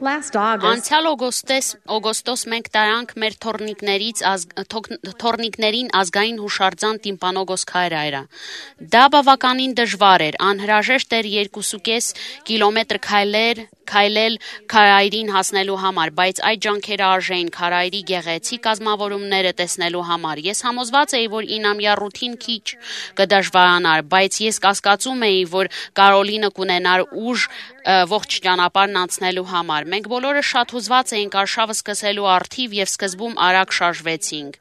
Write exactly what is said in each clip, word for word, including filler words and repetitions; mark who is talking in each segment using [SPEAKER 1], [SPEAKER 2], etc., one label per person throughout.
[SPEAKER 1] Last August,
[SPEAKER 2] Անցյալ օգոստոս օգոստոս մենք տարանք մեր թորնիկներից ազգ, թոք- թորնիկներին ազգային հուշարձան տիմպանոգոս քայրայրը։ Դա բավականին դժվար էր, անհրաժեշտ էր երկուսուկես կիլոմետր քայլեր քայլել քարայրին հասնելու համար, բայց այդ ջանքերը արժեին քարայրի գեղեցիկ կազմավորումները տեսնելու համար։ Ես համոզված էի, որ ինամյա ռութին քիչ կդժվարանար, բայց ես կասկածում էի, որ Կարոլինը կունենար ուժ ը, ողջ ճանապարհն անցնելու համար։ Մենք բոլորը շատ հուզված էինք արշավը սկսելու առթիվ եւ սկզբում արագ շարժվեցինք։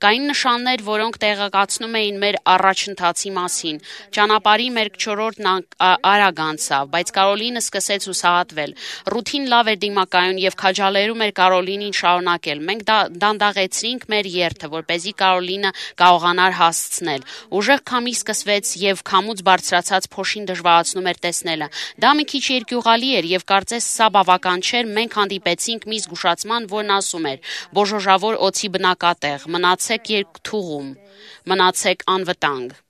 [SPEAKER 2] Կային նշաններ, որոնք տեղեկացնում էին մեր առաջընթացի մասին։ Ճանապարհի մեր չորրորդն ան- ա- արագ անցավ, բայց Կարոլինը սկսեց հուսահատվել։ Ռութին լավ էր դիմակայուն եւ քաջալերում էր Կարոլինին շարունակել։ Մենք դա դանդաղեցրինք մեր երթը, որպեսզի Կարոլինը կարողանար հասցնել։ Ուժեղ քամի սկսվեց եւ քամուց բարձրացած փոշին դժվարացնում էր տեսնելը։ Դա մի քիչ երկյուղալի էր եւ կարծես սա բավական չէր, մենք հանդիպեցինք մի զգուշացման, որն ասում էր. «Բոժոժավոր օձի բնակատեղ, մնացեք երկթուղում, մնացեք անվտանգ»։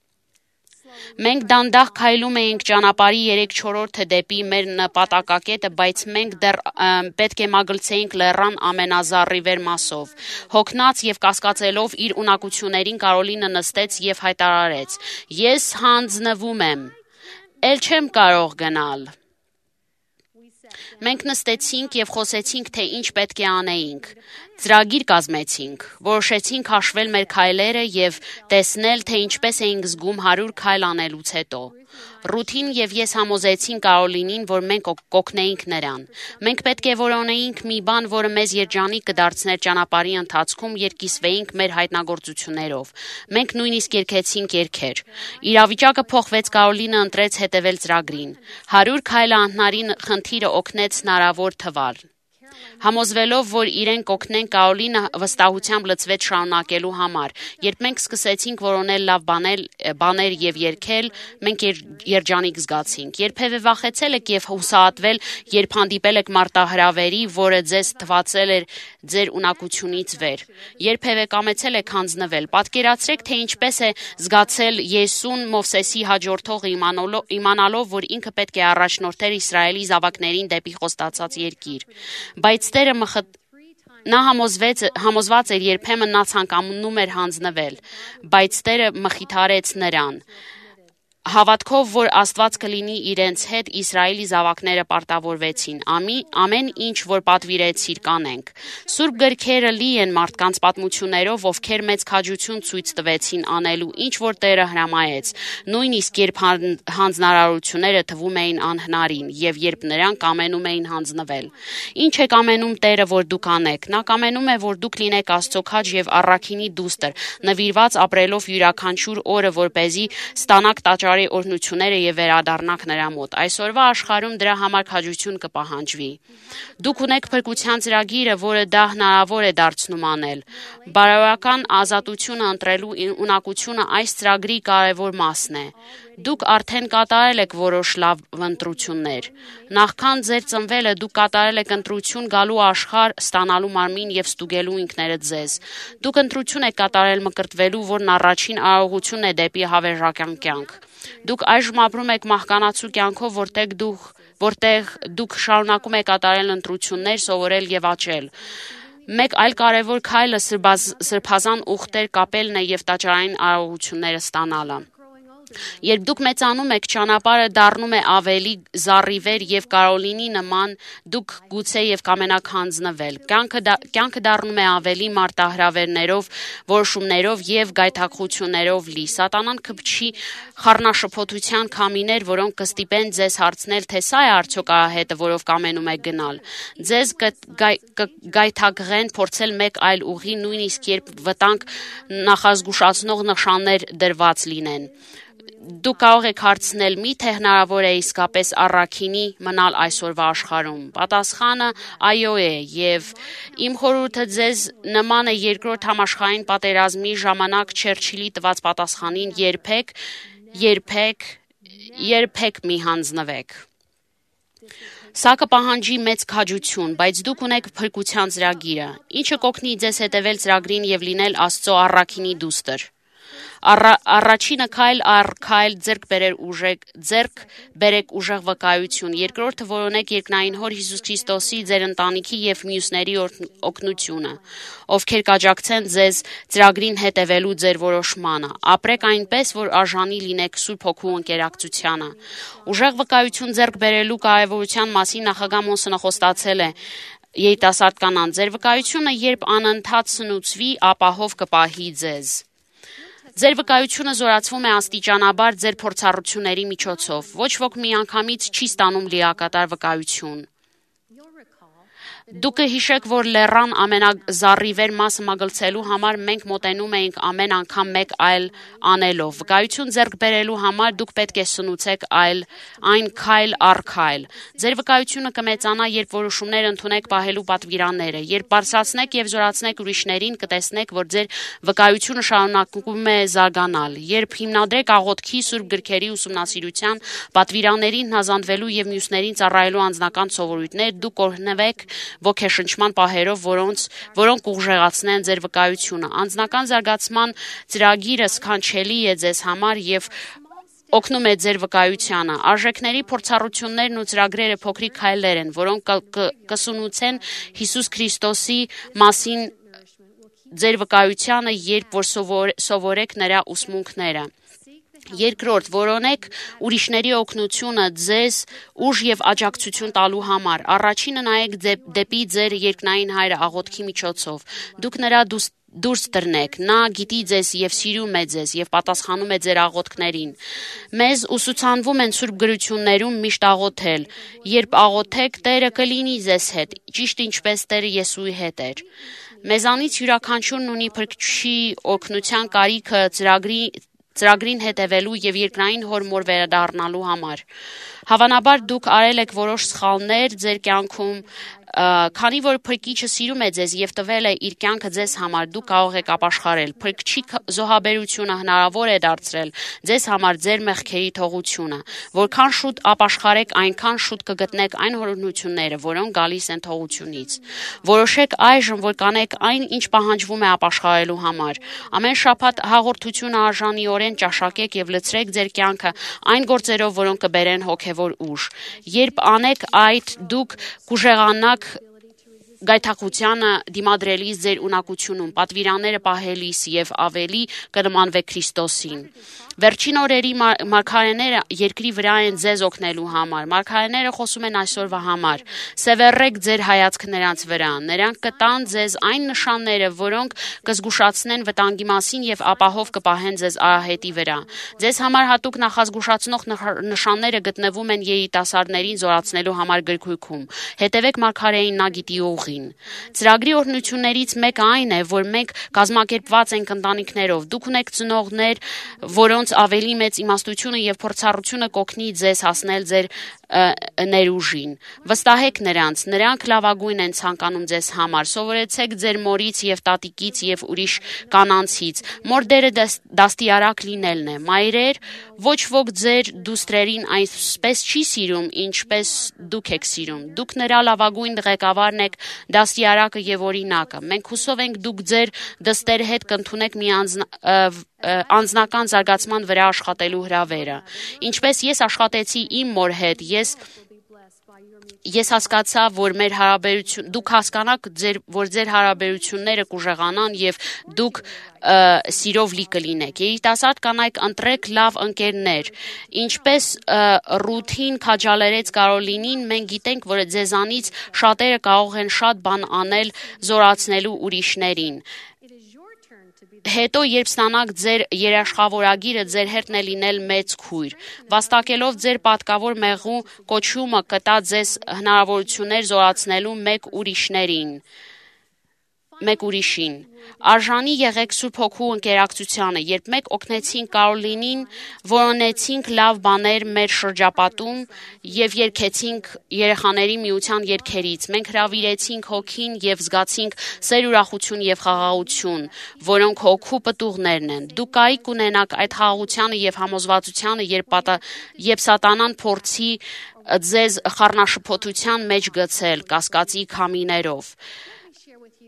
[SPEAKER 2] Մենք դանդաղ քայլում էինք ճանապարհի երեք-չորրորդը դեպի մեր նպատակակետը, բայց մենք դեռ ը, պետք է մագլցեինք լեռան ամենազառիվեր մասով։ Հոգնած եւ կասկածելով իր ունակություններին Կարոլինը նստեց եւ հայտարարեց. «Ես հանձնվում եմ, էլ չեմ կարող գնալ»։ Մենք նստեցինք եւ խոսեցինք, թե ինչ պետք է անեինք։ Ծրագիր կազմեցինք, որոշեցինք հաշվել մեր քայլերը եւ տեսնել, թե ինչպես էինք զգում հարյուր քայլ անելուց հետո։ Ռութին եւ ես համոզեցինք Կարոլինին, որ մենք օ- կօգնեինք նրան։ Մենք պետք է որոնեինք մի բան, որը մեզ երջանիկ կդարձներ ճանապարհի ընթացքում, երկիսվեինք մեր հայտնագործություններով։ Մենք նույնիսկ երգեցինք երգեր։ Իրավիճակը փոխվեց, Կարոլինը ընտրեց հետևել ծրագրին։ հարյուր քայլը անհնարին խնդիրը օգնեց հնարավոր թվալ։ Համոզվելով, որ իրեն կօգնեն, Կարոլինը վստահությամբ լծվեց շարունակելու համար։ Երբ մենք սկսեցինք որոնել լավ բանել, բաներ եւ երգել, մենք եր, երջանիկ զգացինք։ Երբևէ վախեցել եք եւ հուսահատվել, երբ հանդիպել եք մարտահրավերի, որը ձեզ թվացել էր ձեր ունակությունից վեր։ Երբևէ կամեցել եք հանձնվել։ Պատկերացրեք, թե ինչպես է զգացել Եսուն Մովսեսի հաջորդողը իմանալով, իմանալով, որ ինքը պետք է առաջնորդեր Իսրայելի զավակներին դեպի խոստացած երկիր։ Բայց Տերը մխտ Նա համոզվեց, համոզված էր, երբեմն նա ցանկանում էր հանձնվել, բայց Տերը մխիթարեց նրան։ Հավատքով, որ Աստված կլինի իրենց հետ, Իսրայելի զավակները պարտավորվեցին։ Ամի, ամեն ինչ, որ պատվիրեցիր, կանենք։ Սուրբ գրքերը լի են մարդկանց պատմություններով, ովքեր մեծ քաջություն ցույց տվեցին անելու, ինչ որ Տերը հրամայեց, նույնիսկ երբ հան- հանձնարարությունները թվում էին անհնարին, եւ երբ նրանք կամենում էին հանձնվել։ Ինչ է կամենում Տերը, որ դուք անեք։ Նա կամենում է, որ դուք լինեք Աստծո քաջ եւ առաքինի դուստր, նվիրված ապրելով յուրաքանչյուր օրը, որպեսզի ստանաք տաճարի օրհնությունները եւ վերադառնաք նրա մոտ։ Այսօրվա աշխարհում դրա համար քաջություն կպահանջվի։ Դուք ունեք փրկության ծրագիրը, որը դա հնարավոր է դարձնում անել։ Բարոյական ազատությունը ընտրելու ին- ունակությունը այս ծրագրի կարևոր մասն է։ Դուք արդեն կատարել եք որոշ լավ ընտրություններ։ Նախքան ձեր ծնվելը դուք կատարել եք ընտրություն գալու աշխարհ, ստանալու մարմին եւ ստուգելու ինքներդ ձեզ։ Դուք ընտրություն եք կատարել մկրտվելու, որն առաջին արարողությունն է դեպի հավերժական կյանք։ Դուք այժմ ապրում եք մահկանացու կյանքով, որտեղ դուք որտեղ դուք շարունակում եք կատարել ընտրություններ, սովորել եւ աճել։ Մեկ այլ կարևոր քայլը սրբազ- սրբազան ուխտեր կապելն է եւ տաճարային արարողությունները ստանալը։ Երբ դուք մեծանում եք, ճանապարհը դառնում է ավելի զառիվեր եւ Կարոլինի նման, դուք գուցե եւ կամենաք հանձնվել։ Կյանքը դա- կյանքը դառնում է ավելի մարտահրավերներով, որոշումներով եւ գայթակղություններով լի։ Սատանան կփչի խառնաշփոթության քամիներ, որոնք կստիպեն ձեզ հարցնել, թե սա է արդյոք արահետը, որով կամենում եք գնալ։ Ձեզ կգայ- կգայթակղեն փորձել մեկ այլ ուղի, նույնիսկ երբ վտանգ նախազգուշացնող նշաններ դրված լինեն։ Դուք կարող եք հարցնել, միթե հնարավոր է իսկապես առաքինի մնալ այսօրվա աշխարհում։ Պատասխանը այո է, եւ իմ խորհուրդը ձեզ նման է երկրորդ համաշխարհային պատերազմի ժամանակ Չերչիլի տված պատասխանին՝ երբեք, երբեք, երբեք մի հանձնվեք։ Սա կպահանջի մեծ քաջություն, բայց դուք ունեք փրկության ծրագիրը, ինչը կօգնի ձեզ հետևել ծրագրին եւ լինել Աստծո առաքինի դուստր։ Առաջինը քայլ առ քայլ ձեռք բերել ուժեղ ձեռք բերեք ուժեղ վկայություն, երկրորդը որոնեք երկնային Հոր Հիսուս Քրիստոսի, ձեր ընտանիքի եւ մյուսների օգնությունը, ովքեր կաջակցեն ձեզ ծրագրին հետևելու ձեր որոշմանը, ապրեք այնպես, որ արժանի լինեք Սուրբ Հոգու ընկերակցությանը։ Ուժեղ վկայություն ձեռք բերելու կարևորության մասին նախագահ Մոնսոնը խոստացել է երիտասարդ կանանց, ձեր վկայությունը երբ անընդհատ սնուցվի, ապահով կպահի ձեզ։ Ձեր վկայությունը զորացվում է աստիճանաբար ձեր փորձառությունների միջոցով, ոչ ոք միանգամից չի ստանում լիակատար վկայություն։ Դուք կհիշեք, որ լեռան ամենազառիվեր մասը մագլցելու համար մենք մոտենում էինք ամեն անգամ մեկ այլ անելով։ Վկայություն ձեռք բերելու համար դուք պետք է սնուցեք այլ այն քայլ առ քայլ։ Ձեր վկայությունը կմեծանա, երբ որոշումներ ընդունեք պահելու պատվիրանները, երբ բարձրացնեք եւ զորացնեք ուրիշներին, կտեսնեք, որ ձեր վկայությունը շարունակում է զարգանալ։ Երբ հիմնադրեք աղոթքի, Սուրբ գրքերի ուսումնասիրության, պատվիրաններին հնազանդվելու եւ մյուսներին ծառայելու անձնական սովորույթներ, դուք կօրհնվեք ոգեշնչման պահերով, որոնց որոնք ուժեղացնեն ձեր վկայությունը։ Անձնական զարգացման ծրագիրը սքանչելի է ձեզ համար եւ օգնում է ձեր վկայությանը։ Արժեքների փորձառություններն ու ծրագրերը փոքրիկ քայլեր են, որոնք կսունուցեն Հիսուս Քրիստոսի մասին ձեր վկայությանը, երբ որ սովորեք նրա ուսմունքները։ Երկրորդ, որոնեք ուրիշների օգնությունը ձեզ ուժ եւ աջակցություն տալու համար։ Առաջինը նայեք դեպի ձեր երկնային Հայրը աղոթքի միջոցով։ Դուք նրա դուրս տրնեք, նա գիտի ձեզ եւ սիրում է ձեզ եւ պատասխանում է ձեր աղոթքներին։ Մեզ ուսուցանվում են Սուրբ գրություններում միշտ աղոթել։ Երբ աղոթեք, Տերը կլինի ձեզ հետ, ճիշտ ինչպես Տերը Եսուի հետ էր։ Մեզանից յուրաքանչյուրն ունի Փրկչի օգնության կարիքը ծրագրի ծրագրին հետևելու եւ երկնային Հոր մոր վերադառնալու համար։ Հավանաբար դուք արել եք որոշ սխալներ ձեր կյանքում, քանի որ Փրկիչը սիրում է ձեզ եւ տվել է իր կյանքը ձեզ համար, դուք կարող եք ապաշխարել։ Փրկչի զոհաբերությունը հնարավոր է դարձրել ձեզ համար ձեր մեղքերի թողությունը։ Որքան շուտ ապաշխարեք, այնքան շուտ կգտնեք այն օրհնությունները, որոնք գալիս են թողությունից։ Որոշեք այժմ, որ կանեք այն, ինչ պահանջվում է ապաշխարելու համար։ Ամեն շաբաթ հաղորդությունը արժանիորեն ճաշակեք եւ լցրեք ձեր կյանքը այն գործերով, որոնք կբերեն հոգեվոր ուժ։ Երբ անեք այդ, դուք կուժեղանաք գայթակղությանը դիմադրելիս ձեր ունակությունում, պատվիրանները պահելիս եւ ավելի կնմանվեք Քրիստոսին։ Վերջին օրերի մարգարեները երկրի վրա են ձեզ օգնելու համար։ Մարգարեները խոսում են այսօրվա համար։ Սևեռեք ձեր հայացքը նրանց վրա։ Նրանք կտան ձեզ այն նշանները, որոնք կզգուշացնեն վտանգի մասին եւ ապահով կպահեն ձեզ արահետի վրա։ Ձեզ համար հատուկ նախազգուշացնող նշանները գտնվում են երիտասարդներին զորացնելու համար գրքույկում։ Հետևեք մարգարեին, նա գիտի ուղին։ Ծրագրի օրհնություններից մեկը այն է, որ մենք կազմակերպված ենք ընտանիքներով։ Դուք ունեք ծնողներ, որոնց ավելի մեծ իմաստությունը եւ փորձառությունը կօգնի ձեզ հասնել ձեր ներուժին։ Վստահեք նրանց, նրանք լավագույն են ցանկանում ձեզ համար։ Սովորեցեք ձեր մորից եւ տատիկից եւ ուրիշ կանանցից։ Մոր դերը դաստիարակ լինելն է։ Մայրեր, ոչ ոք ձեր դուստրերին այսպես չի սիրում, ինչպես դուք եք սիրում։ Դուք նրա լավագույն ղեկավարն եք, դաստիարակը եւ օրինակը։ Մենք հուսով ենք դուք ձեր դստեր հետ կընդունեք մի անձնական զարգացման վրա աշխատելու հրավերը։ Ինչպես ես աշխատեցի իմ մոր հետ, ես ես հասկացա, որ մեր հարաբերություն դուք հասկանաք, ձեր, որ ձեր հարաբերությունները կուժեղանան եւ դուք սիրով լի կլինեք։ Երիտասարդ կանայք, ընտրեք լավ ընկերներ։ Ինչպես Ռութին քաջալերեց Կարոլինին, մենք գիտենք, որ ձեզանից շատերը կարող են շատ բան անել զորացնելու ուրիշներին։ Հետո, երբ ստանաք ձեր երաշխավորագիրը, ձեր հերթն է լինել մեծ քույր։ Վաստակելով ձեր պատկավոր մեղու կոչումը կտա ձեզ հնարավորություններ զորացնելու մեկ ուրիշներին։ Մեկ ուրիշին։ Արժանի եղեք Սուրբ Հոգու ընկերակցությանը, երբ մենք օգնեցինք Կարոլինին, որոնեցինք լավ բաներ մեր շրջապատում եւ երգեցինք երեխաների միության երգերից։ Մենք հրավիրեցինք Հոգին եւ զգացինք սեր, ուրախություն եւ խաղաղություն, որոնք Հոգու պտուղներն են։ Դուք կարիք ունենաք այդ խաղաղությանը եւ համոզվածությանը, երբ պատա, երբ Սատանան փորձի ձեզ խառնաշփոթության մեջ գցել կասկածի քամիներով։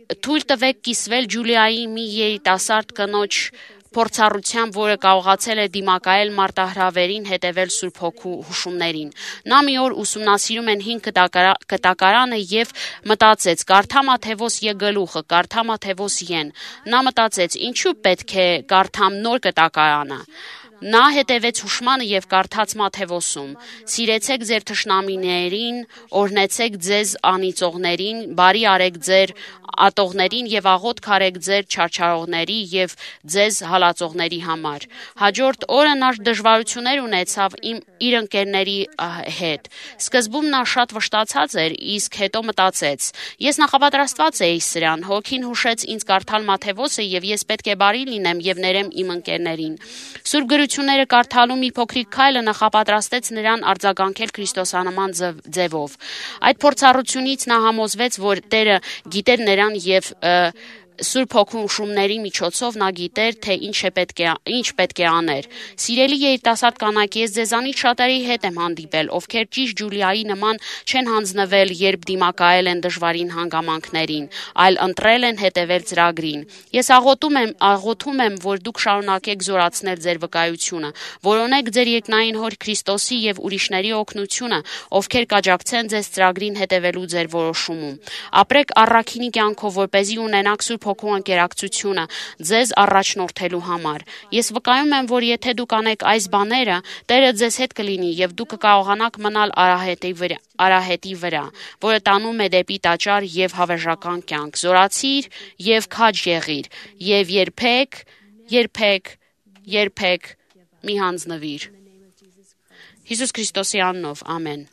[SPEAKER 2] Թույլ տվեք կիսվել Ջուլիայի մի երիտասարդ կնոջ փորձառությամբ, որը կարողացել է դիմակայել մարտահրավերին հետևել Սուրբ Հոգու հուշումներին։ Նա մի օր ուսումնասիրում են հին կտակարանը եւ մտածեց. «Կարդամա թե ոս յգլուխը, կարդամա թե ոս յեն»։ Նա մտածեց. «Ինչու պետք է կարդամ նոր կտակարանը»։ Նա հետևեց հուշմանը եւ կարդաց Մատթեոսում. «Սիրեցեք ձեր թշնամիներին, օրհնեցեք ձեզ անիծողներին, բարի արեք ձեր ատողներին եւ աղոթք արեք ձեր չարչարողների եւ ձեզ հալածողների համար»։ Հաջորդ օրը նա դժվարություններ ունեցավ իմ իր ընկերների հետ։ Սկզբում նա շատ վշտացած էր, իսկ հետո մտածեց. «Ես նախապատրաստված էի սրան, Հոգին հուշեց ինձ կարդալ Մատթեոսը եւ ես պետք է բարի լինեմ եւ ներեմ իմ ընկերներին»։ Սուրբ գրությունները կարդալու մի փոքրիկ քայլը նախապատրաստեց նրան արձագանքել քրիստոսանման ձևով։ Այդ փորձառությունից նա համոզվեց, որ Տերը գիտեր նրան եւ Սուրբ Հոգու հուշումների միջոցով նա գիտեր, թե ինչ է պետք է ինչ պետք է աներ։ Սիրելի երիտասարդ կանայք, ես ձեզանից շատերի հետ եմ հանդիպել, ովքեր ճիշտ Ջուլիայի նման չեն հանձնվել, երբ դիմակայել են դժվարին հանգամանքներին, այլ ընտրել են հետևել ծրագրին։ Ես աղոթում եմ, աղոթում եմ, որ դուք շարունակեք զորացնել ձեր վկայությունը, որոնեք ձեր երկնային Հոր Քրիստոսի եւ ուրիշների օգնությունը, ովքեր կաջակցեն ձեզ ծրագրին հետևելու ձեր որոշումում։ Ապրեք առաքինի կյանքով, որպեսզի ունենաք Սուրբ Հոգու ընկերակցությունը ձեզ առաջնորդելու համար։ Ես վկայում եմ, որ եթե դուք անեք այս բաները, Տերը ձեզ հետ կլինի եւ դուք կկարողանաք մնալ արահետի վրա, արահետի վրա, որը տանում է դեպի տաճար եւ հավերժական կյանք։ Զորացիր եւ քաջ եղիր եւ երբեք, երբեք, երբեք մի հանձնվիր։ Հիսուս Քրիստոսի անունով, ամեն։